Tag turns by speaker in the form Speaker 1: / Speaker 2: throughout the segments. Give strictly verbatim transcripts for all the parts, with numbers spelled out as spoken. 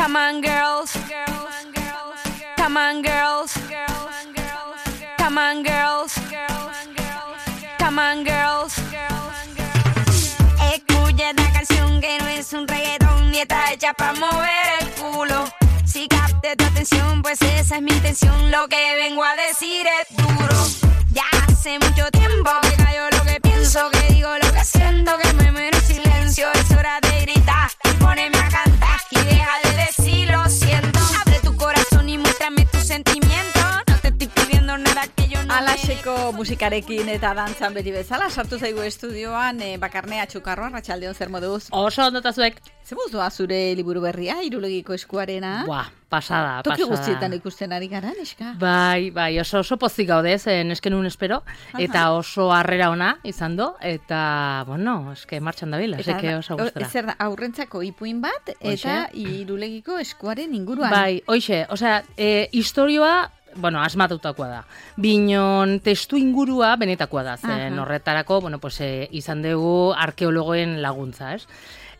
Speaker 1: Come on, girls. Come on, girls. Come on, girls. Come on, girls. Escucha esta canción que no es un reggaetón ni está hecha para mover el culo. Si capte tu atención, pues esa es mi intención. Lo que vengo a decir es duro. Ya hace mucho tiempo que callo lo que pienso, que digo lo que siento, que me muero en silencio. Es hora de gritar y ponerme a cantar y deja de decir lo siento. Abre tu corazón y muéstrame tus sentimientos. No te estoy pidiendo nada que yo no.
Speaker 2: Alaxeko musikarekin eta dantzan beti bezala sartu zaigu estudioan e, Bakarnea Txukarro, arratsaldeon zer moduz?
Speaker 3: Oso ondotazuek.
Speaker 2: Zer moduz zure liburu berria, Irulegiko eskuarena?
Speaker 3: Buah, pasada,
Speaker 2: Toki
Speaker 3: pasada.
Speaker 2: guztietan ikusten ari gara, neska?
Speaker 3: Bai, bai, oso, oso pozik gaude, zen eskenun espero, eta oso harrera ona izan do, eta, bueno, eske martxan dabil, aseke oso gustora.
Speaker 2: Zer da, aurrentzako ipuin bat, eta Irulegiko eskuaren inguruan.
Speaker 3: Bai, hoxe, osea, e, historioa, bueno, asmatutakoa da. Binon testu ingurua benetakoa da, zen horretarako, bueno, pues, e, izan dugu arkeologoen laguntza, ez?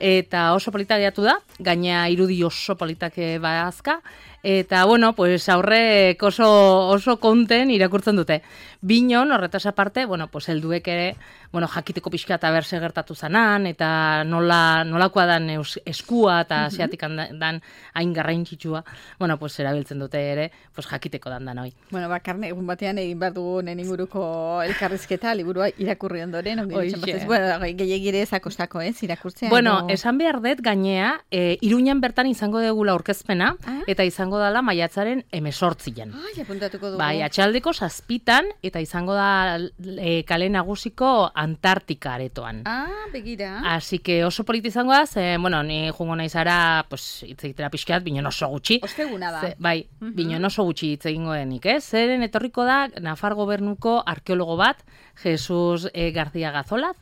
Speaker 3: Eta oso polita gehiatu da, gaina irudi oso politak badazka, eta, bueno, pues aurrek oso, oso konten irakurtzen dute. Binon, horretaz aparte, bueno, pues helduek ere, bueno, jakiteko pixka eta berse gertatu zanan, eta nola, nolakoa dan eus, eskua eta asiatik dan hain garrantzitsua, bueno, pues erabiltzen dute ere, pues jakiteko dan dan hoi.
Speaker 2: Bueno, Bakarne, egun batean egin behar dugu nen inguruko elkarrizketa, liburua irakurri ondoren, ongi ditxen bueno, gehiagire ezakostako, ez, irakurtzea.
Speaker 3: Bueno, no... esan behar dut gainea, e, Iruñan bertan izango degula aurkezpena, ah? Eta izango dala maiatzaren emesortzian.
Speaker 2: Ai, apuntatuko dugu.
Speaker 3: Bai, atxaldeko zazpitan, eta izango da e, kale nagusiko Antartika aretoan.
Speaker 2: Ah, begira.
Speaker 3: Así que oso politi izango da, ze, bueno, ni jungo naizara, pues, hitz egitera pixkat, binon oso gutxi.
Speaker 2: Osteguna da.
Speaker 3: Ze, bai, uh -huh. binon oso gutxi hitz egingo denik, eh? Zeren etorriko da, Nafar gobernuko arkeologo bat, Jesus e, García Gazolaz,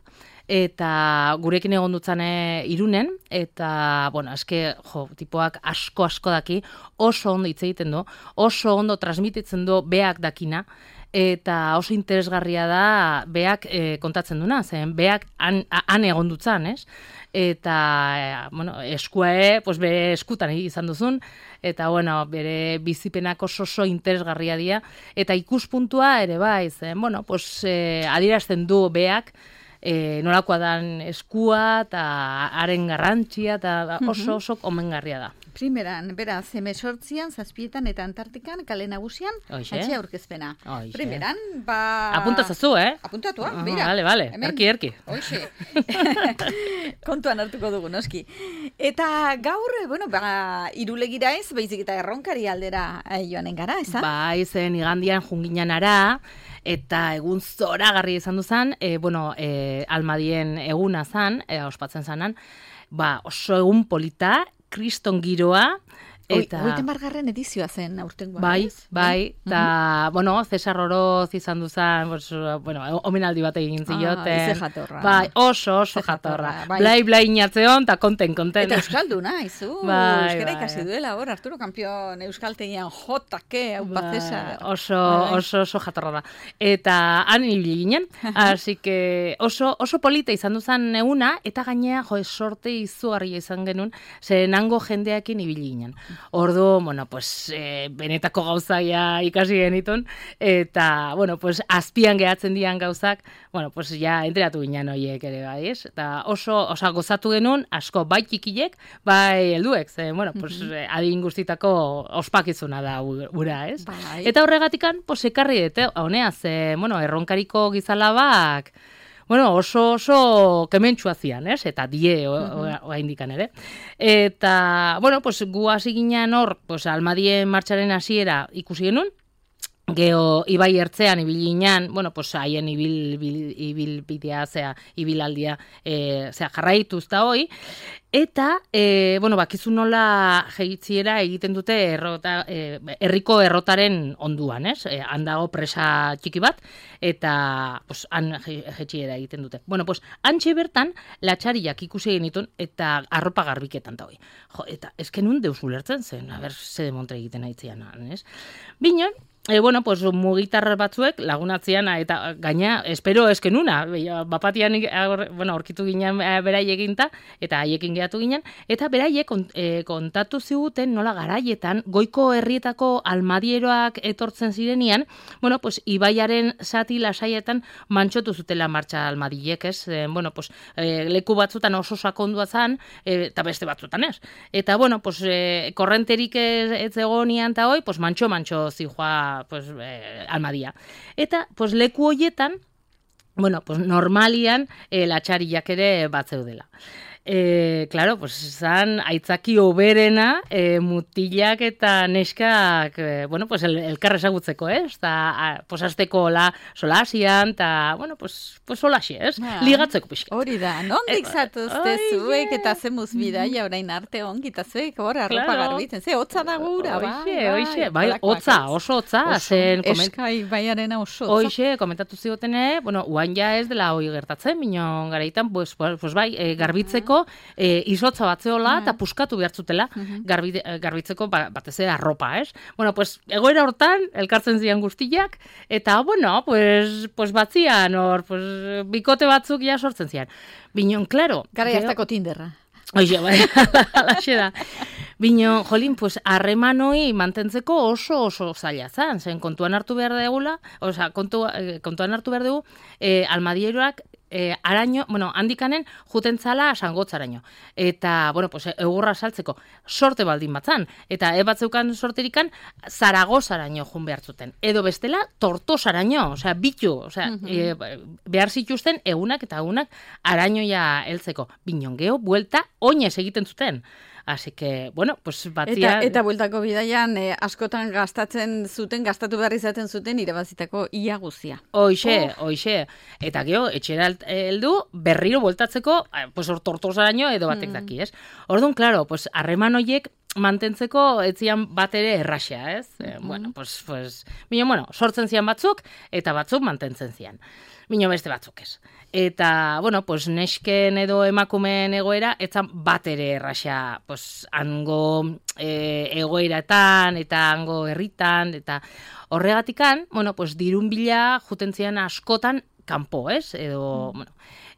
Speaker 3: eta gurekin egon dutzane Irunen, eta, bueno, eske, jo, tipoak asko-asko daki, oso ondo hitz egiten du, oso ondo transmititzen du beak dakina, eta oso interesgarria da beak e, kontatzen duna, zen beak han, han egon dutzan, ez? Eta, e, bueno, eskuae, pues bere eskutan izan duzun, eta, bueno, bere bizipenak oso oso interesgarria dira, eta ikuspuntua ere bai, zen, bueno, pues e, adierazten du beak, E, nolakoa dan eskua eta haren garrantzia eta oso oso omengarria da.
Speaker 2: Primeran, beraz, emesortzian, zazpietan eta Antartikan, kale nagusian, atxe aurkezpena.
Speaker 3: Oixe.
Speaker 2: Primeran, ba...
Speaker 3: Apuntazazu, eh?
Speaker 2: Apuntatua,
Speaker 3: uh,
Speaker 2: mira.
Speaker 3: Bale, bale, erki, erki.
Speaker 2: Oixe. Kontuan hartuko dugu, noski. Eta gaur, bueno, ba, Irulegira ez, baizik eta erronkari aldera joanen gara, eza?
Speaker 3: Bai, zen igandian junginan ara, eta egun zoragarri izan duzan, e, bueno, e, almadien eguna zan, e, ospatzen zanan, ba, oso egun polita, kriston giroa, eta...
Speaker 2: Hogeiten bargarren edizioa zen aurtengoa.
Speaker 3: Bai, bai, eta, mm -hmm. bueno, Cesar Oroz izan duzan, pues, bueno, omenaldi bat egin zioten.
Speaker 2: Ah, ize jatorra.
Speaker 3: Bai, oso, oso ize jatorra. jatorra. Bai. Blai, blai inatzeon, eta konten, konten.
Speaker 2: Eta euskalduna, izu. Bai, euskara ikasi bai. Duela, hor, Arturo Kampion euskaltegian jotake, hau bai, Cesar.
Speaker 3: Oso, bai. oso, oso jatorra da. Eta han ibili ginen, así que oso, oso polita izan duzan eguna, eta gainea, jo, sorte izugarria izan genuen, zen hango jendeakin ibili ginen. Ordu, bueno, pues, e, benetako gauzaia ikasi genitun, eta, bueno, pues, azpian gehatzen dian gauzak, bueno, pues, ja, enteratu ginen horiek ere, bai, ez? Eta oso, oso gozatu genuen, asko, bai txikilek, bai helduek, ze, bueno, pues, mm-hmm. adin guztitako ospakizuna da ura, ez? Bai. Eta horregatikan, pues, ekarri dute, honea, ze, bueno, erronkariko gizalabak, bueno, oso oso kementxua zian, ez? Eta die oa indikan ere. Eta, bueno, pues, gu hasi ginen hor, pues, almadien martxaren hasiera ikusi genuen, geho ibai ertzean ibili ginen, bueno, pues, haien ibil, ibil, ibil bidea, zea, ibilaldia, e, zea, jarraituz da hoi, eta, e, bueno, bakizu nola jeitziera egiten dute errota, e, herriko errotaren onduan, ez? E, handago presa txiki bat, eta, pues, han jeitziera egiten dute. Bueno, pues, antxe bertan, latxariak ikusi genitun, eta arropa garbiketan da hoi. Jo, eta, ezken un deus ulertzen zen, a ber, ze demontre egiten aitzian, ez? Bino, E, bueno, pues mugitar batzuek lagunatzean eta gaina espero eskenuna, bapatian bueno, aurkitu ginen berai eginta eta haiekin geratu ginen eta beraiek e, kontatu ziguten nola garaietan goiko herrietako almadieroak etortzen zirenian, bueno, pues ibaiaren zati lasaietan mantxotu zutela martxa almadiek, ez? E, bueno, pues e, leku batzutan oso sakondua zan e, eta beste batzutan ez. Eta bueno, pues e, korrenterik ez, ez egonian ta hoi, pues mantxo mantxo zijoa pues eh, almadia. Eta pues leku hoietan, bueno, pues normalian eh, latxariak ere bat zeudela. Eh, claro, pues zan aitzaki oberena eh, mutilak eta neskak eh, bueno, pues el, elkar ezagutzeko, eh? Ta, pues azteko la solasian, eta, bueno, pues, pues solaxi, ez? Ah, ligatzeko pixka.
Speaker 2: Hori da, nondik zatuzte eh, zuek eta zemuz bidaia orain arte ongi, eta zuek hor arropa claro. Garbitzen, ze, hotza da gura,
Speaker 3: bai, oixe, bai, hotza, oso hotza. Zen,
Speaker 2: eskai baiarena oso hotza.
Speaker 3: Oixe, komentatu zigotene, bueno, uan ja ez dela hoi gertatzen, minon garaitan, pues, pues bai, eh, garbitzeko E, izotza batzeola eta puskatu behartzutela garbi, garbitzeko ba, batez ere arropa, ez? Bueno, pues egoera hortan elkartzen zian guztiak eta bueno, pues pues batzian hor, pues bikote batzuk ja sortzen zian. Binon, claro,
Speaker 2: gara jaztako Tinderra.
Speaker 3: Oye, bai, alaxe da. Bino, jolin, pues, harremanoi mantentzeko oso oso zaila zan, zen kontuan hartu behar degula, osea, kontu, kontuan hartu behar dugu, eh, almadieroak eh, araño, bueno, handikanen juten zala sangotzaraino. Eta, bueno, pues, egurra saltzeko sorte baldin batzan, eta e batzeukan sorterikan Zaragozaraino jun behar zuten. Edo bestela, Tortosaraino, osea, bitu, osea, uh-huh. e, behar zituzten egunak eta egunak arañoia heltzeko. Binon geho, buelta, oinez egiten zuten. Así que, bueno, pues batzia...
Speaker 2: Eta, eta bueltako bidaian eh, askotan gastatzen zuten, gastatu behar izaten zuten irabazitako ia guzia.
Speaker 3: Hoixe, oh. hoixe. Eta geho, etxera heldu berriro bueltatzeko, pues hor Tortosaraino edo batek mm. daki, ez? Orduan, claro, pues harreman horiek mantentzeko ez zian bat ere erraxea, ez? Mm-hmm. Eh, bueno, pues, pues, bino, bueno, sortzen zian batzuk, eta batzuk mantentzen zian. Bino beste batzuk ez. Eta, bueno, pues, nesken edo emakumeen egoera, etzan bat ere erraxea, pues, hango e, egoeratan, eta hango herritan, eta horregatikan, bueno, pues, dirun bila juten zian askotan kanpo, ez? Edo, mm. bueno,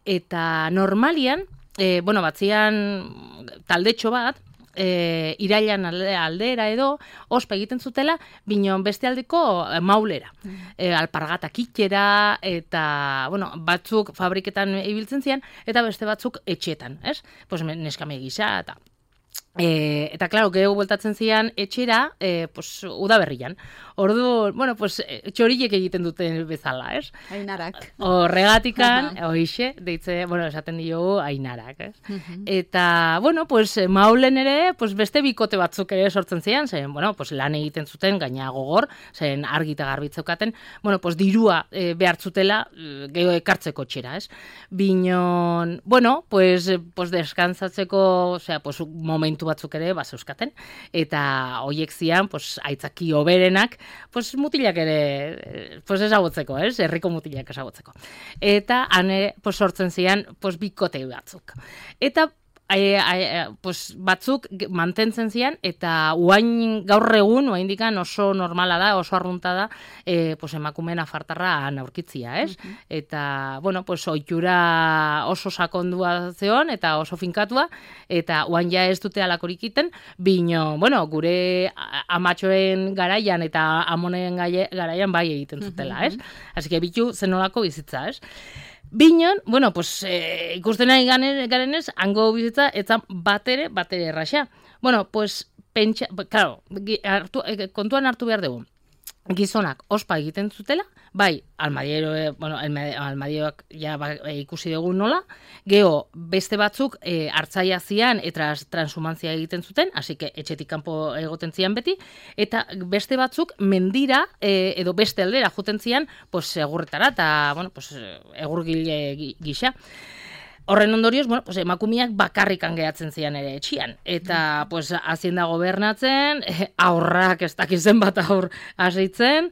Speaker 3: eta normalian, e, bueno, batzian taldetxo bat, E, irailan aldera edo ospa egiten zutela, binon beste aldeko e, maulera. E, alpargatak itxera, eta, bueno, batzuk fabriketan ibiltzen zian, eta beste batzuk etxetan, ez? Pues neskame gisa, eta... E, eta, klaro, gehu bueltatzen zian etxera, e, pues, udaberrian. Ordu, bueno, pues, txoriek egiten duten bezala, ez?
Speaker 2: Ainarak.
Speaker 3: Horregatikan, hoixe, deitze, bueno, esaten diogu ainarak, ez? Uh-huh. Eta, bueno, pues, maulen ere, pues, beste bikote batzuk ere sortzen zian, zen, bueno, pues, lan egiten zuten, gaina gogor, zen argita garbitzeukaten, bueno, pues, dirua e, behartzutela geho ekartzeko txera, ez? Binon, bueno, pues, pues, deskansatzeko, osea, pues, momentu batzuk ere bazeuskaten, eta hoiek zian, pues, aitzaki oberenak, pues, mutilak ere, pues, ezagutzeko, ez? Herriko mutilak ezagutzeko. Eta, hane, pues, sortzen zian, pues, bikote batzuk. Eta, E, e, pues, batzuk mantentzen zian, eta uain gaur egun, uain dikan oso normala da, oso arrunta da, e, pues, emakumeen afartarra aurkitzia, ez? Uh-huh. Eta, bueno, pues, oitura oso sakondua zeon, eta oso finkatua, eta uain ja ez dute alakorik iten, bino, bueno, gure amatxoen garaian eta amonen garaian bai egiten zutela, ez? Así que bitu zenolako bizitza, ez? Binon, bueno, pues, eh, ikusten nahi garenez, hango bizitza, etzan batere, batere erraxa. Bueno, pues, pentsa, claro, hartu, kontuan hartu behar dugu. Gizonak ospa egiten zutela, bai, almadiero, bueno, almadieroak ja ba, e, ikusi dugu nola, geho beste batzuk e, hartzaia zian eta transhumantzia egiten zuten, hasi que etxetik kanpo egoten zian beti, eta beste batzuk mendira e, edo beste aldera joten zian, pues, egurretara, eta, bueno, pues, egurgile gisa. Horren ondorioz, bueno, pues, emakumiak bakarrikan gehatzen zian ere etxian. Eta, pues, hazienda gobernatzen, aurrak ez dakizen bat aur hasitzen,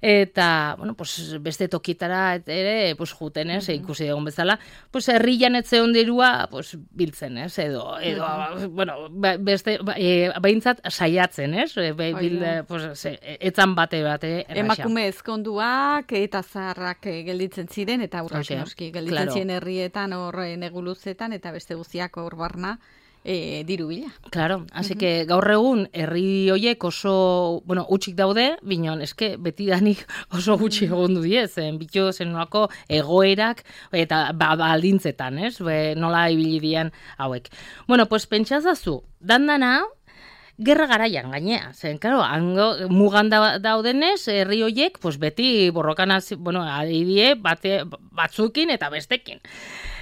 Speaker 3: Eta, bueno, pues, beste tokitara ere, pues, juten, ez, mm-hmm. ikusi egon bezala, pues, herrian etzeon dirua, pues, biltzen, ez, edo, edo, mm-hmm. bueno, beste, e, behintzat saiatzen, ez, e, be, bil, pues, ze, etzan bate bate erraxa.
Speaker 2: Emakume ezkonduak eta zaharrak gelditzen ziren, eta aurrak noski, gelditzen claro. ziren herrietan, hor neguluzetan, eta beste guztiak hor barna, E, diru bila.
Speaker 3: Claro, así uh-huh. que gaur egun herri hoiek oso, bueno, utxik daude, binon, eske beti danik oso gutxi egon du diez, bitu zen nolako egoerak eta baldintzetan, ez? Be, nola ibili dian hauek. Bueno, pues pentsazazu, dandana gerra garaian gainea, zen, claro, hango mugan da, daudenez, herri hoiek, pues beti borrokan, bueno, adidie bate, batzukin eta bestekin.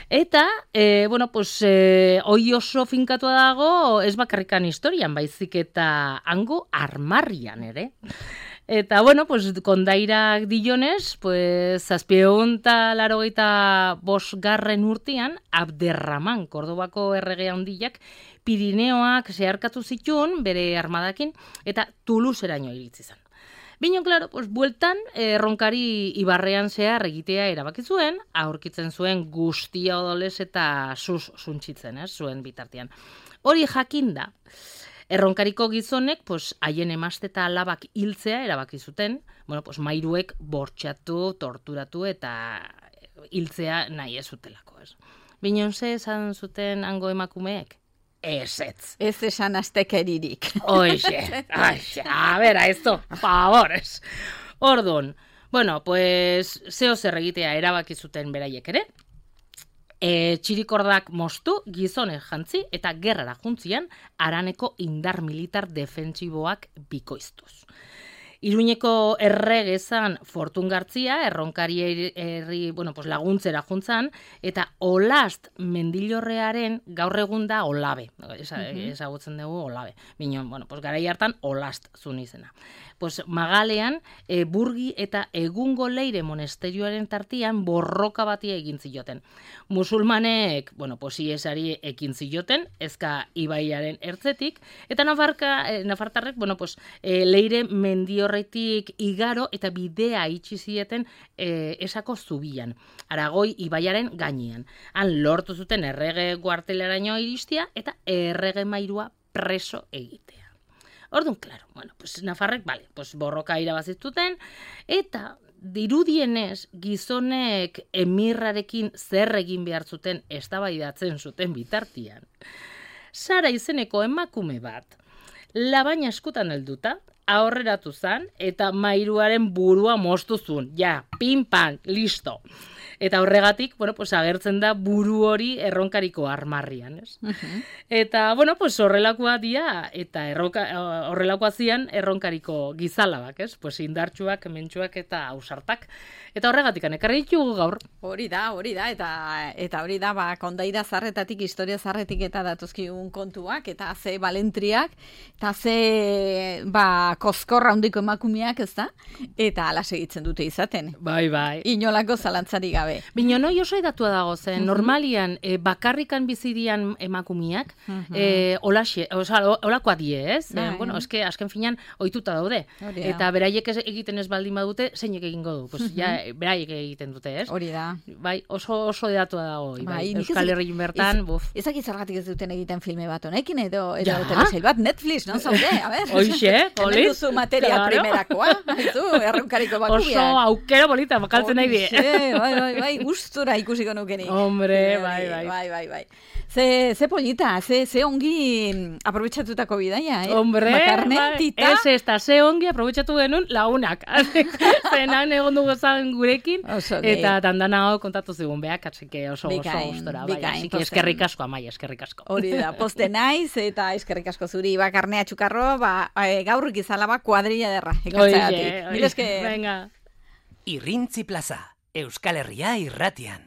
Speaker 3: Eta, e, bueno, pues, e, hoi oso finkatua dago, ez bakarrikan historian, baizik eta hango armarrian ere. Eta, bueno, pues, kondairak dionez, pues, zazpieun eta larogeita bosgarren urtean, Abderraman, Kordobako errege handiak, Pirineoak zeharkatu zituen bere armadakin, eta Toulouseraino iritsi zen. Bino, klaro, pues, bueltan, erronkari ibarrean zehar egitea erabaki zuen, aurkitzen zuen guztia odolez eta sus suntzitzen, ez, zuen bitartean. Hori jakinda, erronkariko gizonek, pues, haien emazte eta alabak hiltzea erabaki zuten, bueno, pues, mairuek bortxatu, torturatu eta hiltzea nahi ez zutelako, ez. Bino, ze esan zuten hango emakumeek? Ez ez.
Speaker 2: Ez esan aztekeririk.
Speaker 3: Oixe, oixe, a bera, esto, favores. Ordun, bueno, pues, zeo zer egitea erabaki zuten beraiek ere, e, txirikordak moztu, gizonek jantzi eta gerrara juntzian haraneko indar militar defentsiboak bikoiztuz. Iruñeko erregezan Fortun Gartzia, erronkari herri, bueno, pues laguntzera juntzan, eta Olast mendilorrearen gaur egun da Olabe. Ezagutzen dugu Olabe. Binon, bueno, pues garai hartan Olast zun izena. Pues Magalean, e, Burgi eta Egungo Leire monasterioaren tartian borroka batia egin zioten. Musulmanek, bueno, pues iesari ekin zioten, ezka ibaiaren ertzetik, eta Nafarka, eh, Nafartarrek, bueno, pues e, Leire mendiorretik igaro eta bidea itxi zieten e, esako zubian, Aragoi ibaiaren gainean. Han lortu zuten errege guarteleraino iristia eta errege mairua preso egitea. Orduan, claro, bueno, pues Nafarrek, vale, pues borroka irabazituten, eta dirudienez gizonek emirrarekin zer egin behar zuten eztabaidatzen zuten bitartian. Sara izeneko emakume bat, labaina eskutan helduta, aurreratu zan, eta mairuaren burua moztu zuen. Ja, pin-pan, listo. Eta horregatik, bueno, pues agertzen da buru hori erronkariko armarrian, ez? Uh-huh. Eta, bueno, pues horrelakoa dia, eta erronka, horrelakoa zian erronkariko gizalabak, ez? Pues indartsuak, mentsuak eta ausartak. Eta horregatik, ekarri ditugu gaur.
Speaker 2: Hori da, hori da, eta eta hori da, ba, kondaira zarretatik, historia zarretik eta datuzkigun kontuak, eta ze balentriak, eta ze, ba, koskorra handiko emakumeak, ez da? Eta ala segitzen dute izaten.
Speaker 3: Bai, bai.
Speaker 2: Inolako zalantzari gabe.
Speaker 3: Bino, noi oso edatua dago zen, uh-huh. normalian e, bakarrikan bizidian emakumiak, uh-huh. e, olaxe, oza, olakoa die, ez? E, bueno, eske, azken finan, ohituta daude. Hori da. Eta beraiek egiten ez baldin badute, zeinek egingo du. Pues, uh-huh. ja, beraiek egiten dute, ez?
Speaker 2: Hori da.
Speaker 3: Bai, oso oso edatua dago. Bai, Euskal Herrian bertan, buf.
Speaker 2: Ezak izargatik ez duten egiten filme bat honekin, edo, edo ja? telesail bat, Netflix, non zaude? A ver.
Speaker 3: Oixe,
Speaker 2: Hemen duzu materia claro. primerakoa, haizu, erronkariko bakubiak.
Speaker 3: Oso aukera bolita, bakaltzen nahi die.
Speaker 2: Bai, bai, bai, gustura ikusiko nukenik.
Speaker 3: Hombre, bai, bai.
Speaker 2: Bai, bai, bai. Ze, ze polita, ze, ze ongi aprobetxatutako bidaia, eh?
Speaker 3: Hombre,
Speaker 2: Bakarne,
Speaker 3: bai.
Speaker 2: Tita.
Speaker 3: Ez, ez da, ze ongi aprobetxatu genuen lagunak. Zenan egon dugu zan gurekin, oso, eta dandana hau kontatu zigun behak, atzike oso oso gustora. Bai, atzike eskerrik asko, amai, eskerrik asko.
Speaker 2: Hori da, poste naiz, eta eskerrik asko zuri, Bakarne Atxukarro, ba, gaur ikizalaba kuadrilla derra.
Speaker 3: Oie, oie, venga.
Speaker 4: Irrintzi plaza, Euskal Herria irratian.